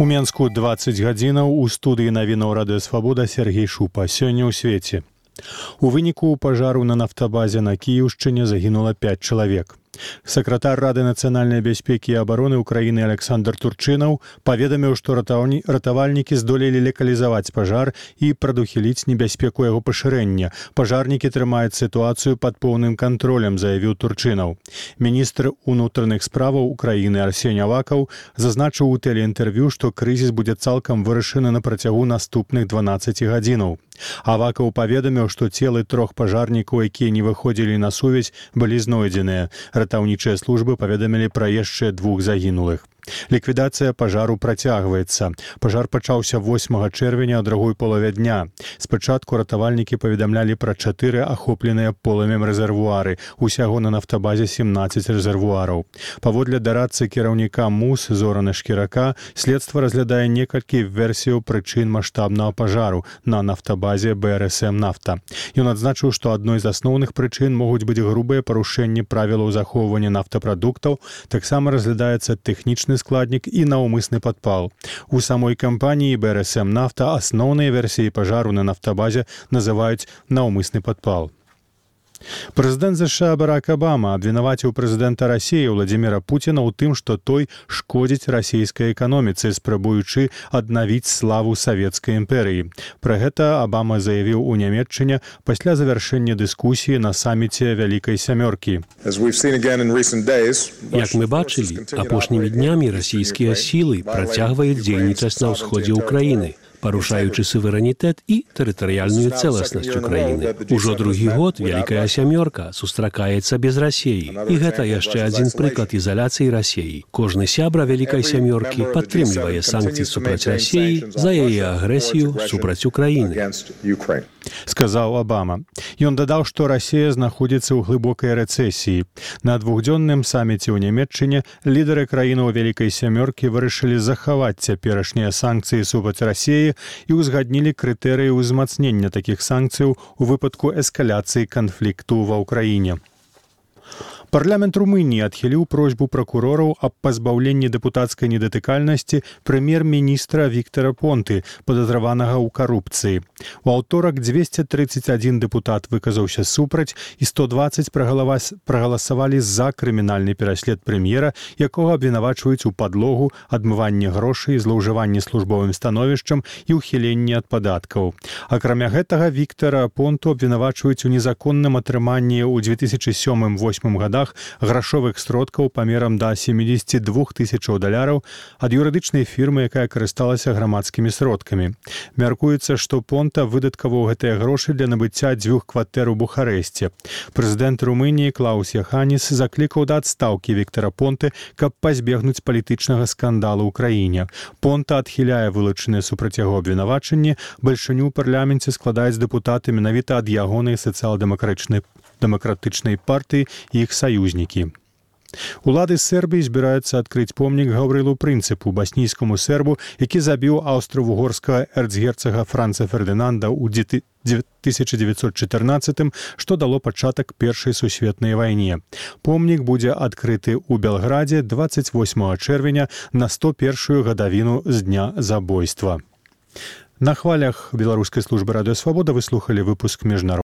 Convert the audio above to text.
У Менску 20 гадзінаў у студыі навінаў Радыёсвабода Сергей Шупа. Сёння ў свеце. У выніку пажару на нафтабазе на Кіеўшчыне загінула 5 чалавек. Сакратар Рады нацыянальнай бяспекі і абароны Украіны Александр Турчынаў паведаміў, што ратавальнікі здолелі лакалізаваць пажар і прадухіліць небяспеку яго пашырэння. Пажарнікі трымаюць сітуацыю пад поўным кантролем, заявіў Турчынаў. Міністр унутраных справаў Украіны Арсень Авакаў зазначыў у тэлеінтэрв'ю, што крызіс будзе цалкам вырашаны на працягу наступных 12 гадзінаў. Авакаў паведаміў, што целы 3 пажарнікаў, якія не выходзілі на сувязь, былі знойдзеныя. Ратаўнічыя службы паведамілі пра яшчэ 2 загінулых. Ліквідацыя пажару працягваецца. Пажар пачаўся 8 чэрвеня ў другой палове дня. Спачатку ратавальнікі паведамлялі пра 4 ахопленыя полымем рэзервуары. Усяго на нафтабазе 17 рэзервуараў. Паводле дарадцы кіраўніка МУС Зорана Шкірака, следства разглядае некалькі версіяў прычын маштабнага пажару на нафтабазе БРСМ «Нафта». Ён адзначыў, што адной з асноўных прычын могуць быць грубыя парушэнні правілаў захоўвання нафтапрадуктаў, таксама разглядаецца тэхнічны складнік і наўмысны падпал. У самой кампаніі БРСМ «Нафта» асноўныя версіі пажару на нафтабазе называюць наўмысны падпал. Прэзідэнт США Барак Абама абвінаваціў прэзідэнта Расіі Владзіміра Пуціна ў тым, што той шкодзіць расійскай эканоміцы, спрабуючы аднавіць славу савецкай імперыі. Пра гэта Абама заявіў у Нямецчыне пасля завяршэння дыскусіі на саміце Вялікай сямёркі. Як мы бачылі, апошнімі днямі расійскія сілы працягваюць дзейнічаць на ўсходзе ўкраіны, парушаючы суверэнітэт і тэрытарыяльную цэласнасць Украіны. Ужо другі год Вялікая сямёрка сустракаецца без Расіі. І гэта яшчэ адзін прыклад ізаляцыі Расіі. Кожны сябра Вялікай сямёркі падтрымлівае санкцыі супраць Расіі за яе агрэсію супраць Украіны. Сказаў Абама. Ён дадаў, што Расія знаходзіцца ў глыбокай рэцэсіі. На двухдзённым саміце ў Нямецчыне лідары краінаў Вялікай сямёркі вырашылі захаваць цяперашнія санкцыі супраць Расіі і ўзгаднілі крытэрыі ўзмацнення такіх санкцыяў у выпадку эскаляцыі канфлікту ва ўкраіне. Парламент Румыніі адхіліў просьбу пракурораў аб пазбаўленні дэпутацкай недатыкальнасці прэм'ер-міністра Віктара Понты, падазраванага ў карупцыі. У аўторак 231 дэпутат выказаўся супраць і 120 прагаласавалі за крымінальны пераслед прэм'ера, якога абвінавачваюць у падлогу, адмыванні грошай, злоўжыванні службовым становішчам і ўхіленні ад падаткаў. Акрамя гэтага, Віктара Понту абвінавачваюць у незаконным атрыманні ў 2007-2008 годах грашовых сродкаў памерам да $72 000 ад юрыдычнай фірмы, якая карысталася грамадскімі сродкамі. Мяркуецца, што Понта выдаткаваў гэтыя грошы для набыцця 2 кватэр у Бухарэсце. Прэзідэнт Румыніі Клаус Яханіс заклікаў да адстаўкі Віктара Понты, каб пазбегнуць палітычнага скандалу ў краіне. Понта адхіляе вылучаныя супраць яго абвінавачанні. Бальшыню ў парламенце складаюць дэпутаты менавіта ад ягонай сацыял-дэмакратычнай партыі і іх саюзнікі. Улады Сербіі збіраюцца адкрыць помнік Гаўрылу Прынцыпу, баснійскаму сербу, які забіў аўстра-вугорскага эрцгерцага Франца Фердынанда ў 1914, што дало пачатак Першай сусветнай вайне. Помнік будзе адкрыты ў Белградзе 28 чэрвеня на 101-ю гадавіну з дня забойства. На хвалях Беларускай службы Радыёсвабода вы слухалі выпуск міжнароднага